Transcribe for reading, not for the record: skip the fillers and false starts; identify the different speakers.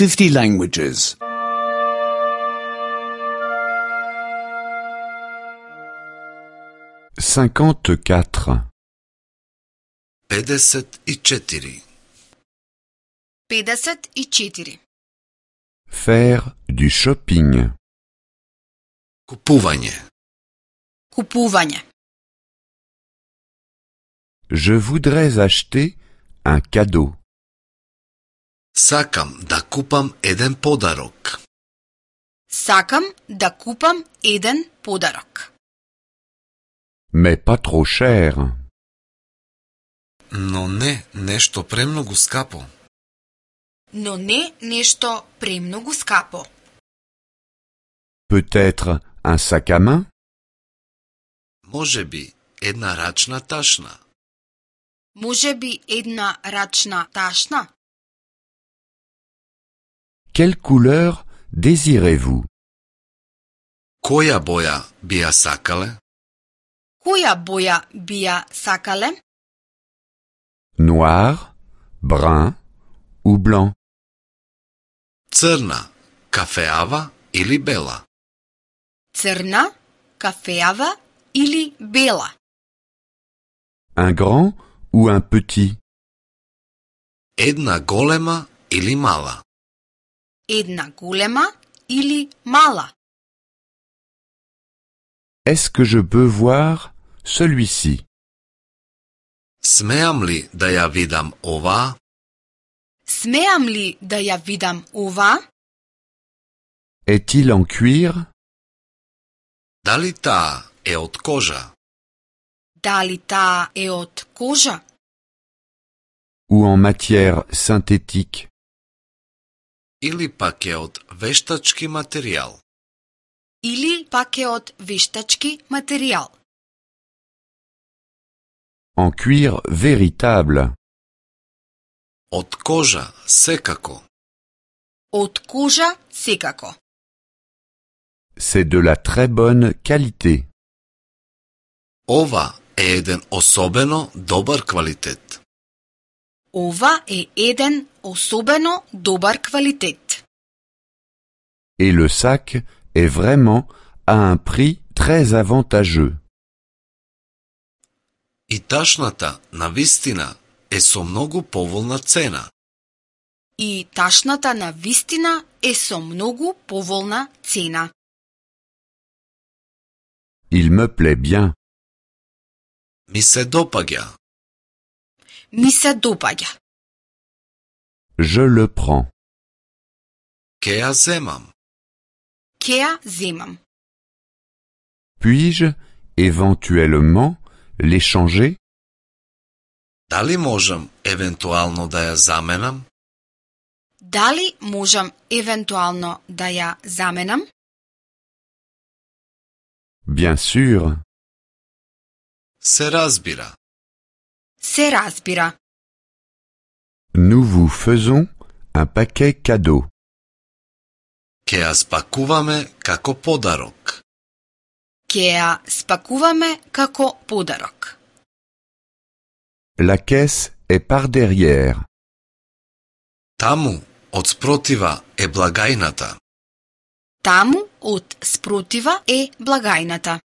Speaker 1: 50 languages.
Speaker 2: 54.
Speaker 3: 54.
Speaker 4: 54.
Speaker 2: Faire du shopping.
Speaker 3: Купување.
Speaker 4: Купување.
Speaker 2: Je voudrais acheter un cadeau.
Speaker 3: Сакам да купам еден подарок.
Speaker 4: Сакам да купам еден подарок.
Speaker 2: Mais pas trop cher.
Speaker 3: Но не нешто премногу скапо.
Speaker 4: Но не нешто премногу скапо.
Speaker 2: Peut-être un sac à main?
Speaker 3: Може би една рачна ташна.
Speaker 4: Може би една рачна ташна?
Speaker 2: Quelle couleur désirez-vous?
Speaker 3: Која боја би ја сакале?
Speaker 4: Која боја би ја сакале?
Speaker 2: Noir, brun ou blanc?
Speaker 3: Црна, кафеава или бела?
Speaker 4: Црна, кафеава или бела?
Speaker 2: Un grand ou un petit?
Speaker 3: Една голема или мала?
Speaker 4: Една голема или мала?
Speaker 2: Est-ce que je peux voir celui-ci?
Speaker 3: Смеам ли да ја видам оваа?
Speaker 4: Смеам ли да ја видам ова?
Speaker 2: Est-il en cuir?
Speaker 3: Дали таа е од кожа?
Speaker 4: Дали таа е од кожа?
Speaker 2: Ou en matière synthétique?
Speaker 3: Или пак е од вештачки материјал?
Speaker 4: Или пак е од вештачки материјал?
Speaker 2: En cuir véritable?
Speaker 3: Од кожа, секако.
Speaker 4: Од кожа, секако.
Speaker 2: C'est de la très bonne qualité.
Speaker 3: Ова е еден особено добар квалитет.
Speaker 4: Ова е еден особено добар квалитет.
Speaker 2: Et le sac est vraiment à un prix très avantageux.
Speaker 3: И ташната, навистина, е со многу поволна цена.
Speaker 4: И ташната навистина е со многу поволна цена.
Speaker 2: Il me plaît bien.
Speaker 3: Ми се допаѓа.
Speaker 4: Ми се допаѓа.
Speaker 2: Je le prends.
Speaker 3: Ке ја земам.
Speaker 4: Ке ја земам.
Speaker 2: Puis-je éventuellement l'échanger?
Speaker 3: Дали можам евентуално да ја заменам?
Speaker 4: Дали можам евентуално да ја заменам?
Speaker 2: Bien sûr.
Speaker 3: Се разбира.
Speaker 4: Се разбира.
Speaker 2: Nous vous faisons un paquet cadeau.
Speaker 3: Ке ја спакуваме како подарок.
Speaker 4: Ке ја спакуваме како подарок.
Speaker 2: La caisse est par derrière.
Speaker 3: Таму, од спротива, е благајната.
Speaker 4: Таму, од спротива, е благајната.